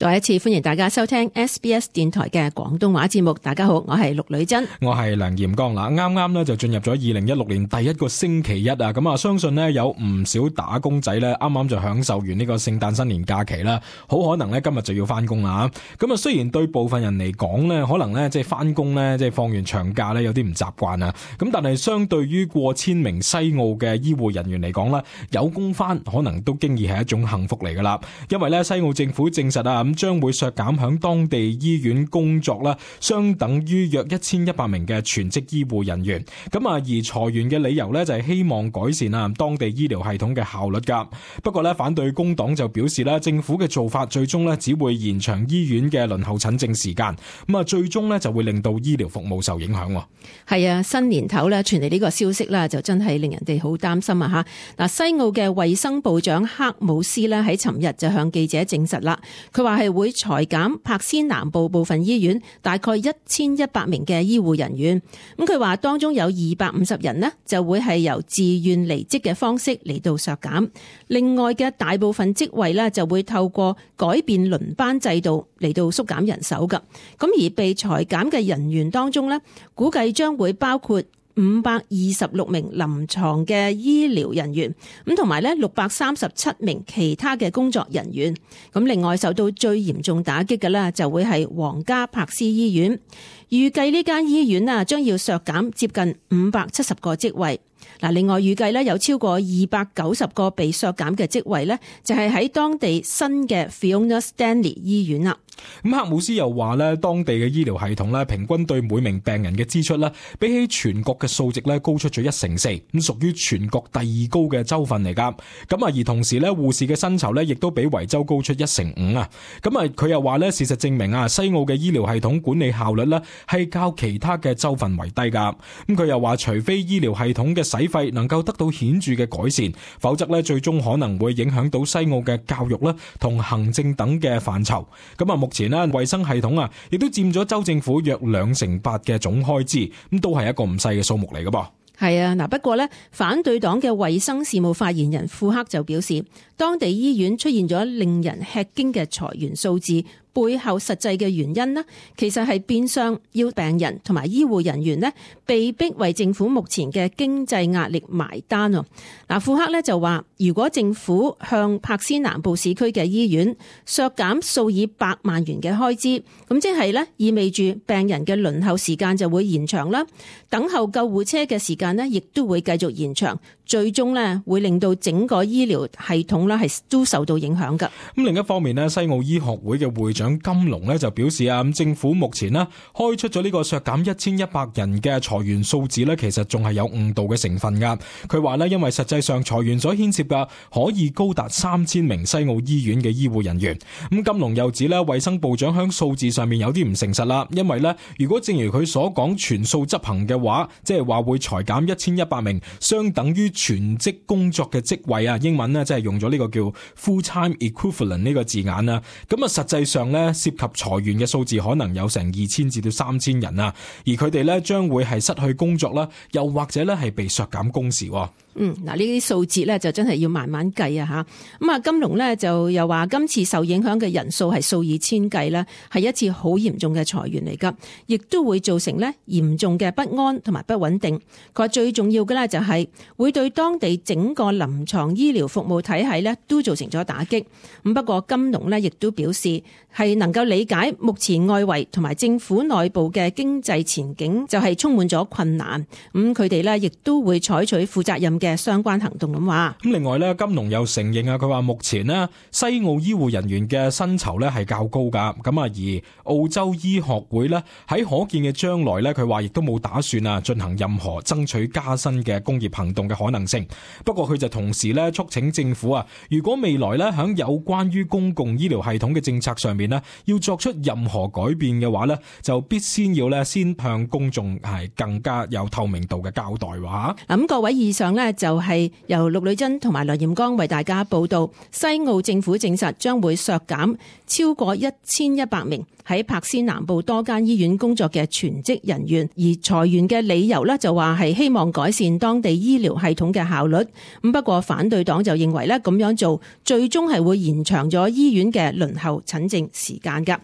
再一次歡迎大家收聽 SBS 電台嘅廣東話節目。大家好，我係陸女珍，我係梁炎剛啦。啱啱咧就進入咗2016年第一個星期一啊，咁啊，相信咧有唔少打工仔咧啱啱就享受完呢個聖誕新年假期啦，好可能咧今日就要翻工啦。咁啊，雖然對部分人嚟講咧，可能咧即係翻工咧即係放完長假咧有啲唔習慣啊，咁但係相對於過千名西澳嘅醫護人員嚟講咧，有工翻可能都經已係一種幸福嚟噶啦，因為咧西澳政府證實啊，將會削減響當地醫院工作啦，相等於約1100名嘅全職醫護人員。咁啊，而裁員嘅理由咧就係希望改善啊當地醫療系統嘅效率噶。不過咧，反對工黨就表示咧，政府嘅做法最終咧只會延長醫院嘅輪候診症時間，咁啊最終咧就會令到醫療服務受影響。係啊，新年頭咧傳嚟呢個消息啦，就真係令人哋好擔心啊吓。嗱，西澳嘅衛生部長克姆斯咧喺尋日就向記者證實啦，佢話係會裁減柏斯南部部分醫院大概1100名嘅醫護人員。咁佢話當中有250人呢就會係由自願離職嘅方式嚟到削減，另外嘅大部分職位呢就會透過改變輪班制度嚟到縮減人手噶。咁而被裁減嘅人員當中呢，估計將會包括526名臨床嘅醫療人員，咁同埋咧637名其他嘅工作人員。咁另外受到最嚴重打擊嘅咧，就會係皇家柏斯醫院。預計呢間醫院啊，將要削減接近570個職位。嗱，另外預計咧有超過290個被削減嘅職位咧，就係喺當地新嘅 Fiona Stanley 醫院啦。咁克姆斯又話咧，當地嘅醫療系統咧，平均對每名病人嘅支出咧，比起全國嘅數值咧，高出咗1成4，咁屬於全國第2高嘅州份嚟噶。咁啊，而同時咧，護士嘅薪酬咧，亦都比維州高出1成5啊。咁啊，佢又話咧，事實證明啊，西澳嘅醫療系統管理效率咧，係較其他嘅州份為低噶。咁佢又話，除非醫療系統嘅使費能夠得到顯著嘅改善，否則咧，最終可能會影響到西澳嘅教育啦同行政等嘅範疇。咁啊，目前咧，衛生系統啊，亦都佔咗州政府約2成8嘅總開支，咁都係一個唔細嘅數目嚟噶噃。係啊，嗱，不過咧，反對黨嘅衛生事務發言人庫克就表示，當地醫院出現咗令人吃驚嘅裁員數字，背後實際嘅原因呢，其實係變相要病人同埋醫護人員呢被逼為政府目前嘅經濟壓力埋單。嗱，庫克呢就話，如果政府向柏斯南部市區嘅醫院削減數以百萬元嘅開支，咁即係呢意味住病人嘅輪候時間就會延長啦，等候救護車嘅時間呢亦都會繼續延長，最終呢會令到整個醫療系統呢係都受到影響㗎。咁另一方面呢，西澳醫學會嘅會長金龍呢就表示啊，咁政府目前呢開出咗呢個削減1100人嘅裁員數字呢，其實仲係有誤導嘅成分噶。佢話呢，因為實際上裁員所牽涉嘅可以高達3000名西澳醫院嘅醫護人員。咁金龍又指呢，衛生部長響數字上面有啲唔誠實啦，因為呢，如果正如佢所講全數執行嘅話，即係話會裁減1100名相等於全職工作嘅職位啊，英文呢即係用咗呢個叫 full-time equivalent 呢個字眼啦。咁啊，實際上呢，涉及裁員嘅數字可能有成2000至到3000人啊，而佢哋呢將會係失去工作啦，又或者呢係被削減工時。嗱，呢啲數字咧就真係要慢慢計啊吓。咁啊，金龍咧就又話今次受影響嘅人數係數以千計啦，係一次好嚴重嘅裁員嚟噶，亦都會造成咧嚴重嘅不安同埋不穩定。佢話最重要嘅咧就係會對當地整個臨床醫療服務體系咧都造成咗打擊。咁不過金龍咧亦都表示係能夠理解目前外圍同埋政府內部嘅經濟前景就係充滿咗困難。咁佢哋咧亦都會採取負責任嘅相關行動咁話。咁另外咧，金龍又承認啊，佢話目前呢西澳醫護人員嘅薪酬咧係較高噶。咁啊，而澳洲醫學會咧喺可見嘅將來咧，佢話亦都冇打算啊進行任何爭取加薪嘅工業行動嘅可能性。不過佢就同時咧促請政府啊，如果未來咧響有關於公共醫療系統嘅政策上面呢要作出任何改變嘅話呢，就必先向公眾係更加有透明度嘅交代話。咁各位以上呢呢，就係由陸女珍同埋梁艷剛為大家報道。西澳政府證實將會削減超過1100名喺柏斯南部多間醫院工作嘅全職人員，而裁員嘅理由呢，就話係希望改善當地醫療系統嘅效率。咁不過反對黨就認為呢，咁樣做最終係會延長咗醫院嘅輪候診症時間㗎。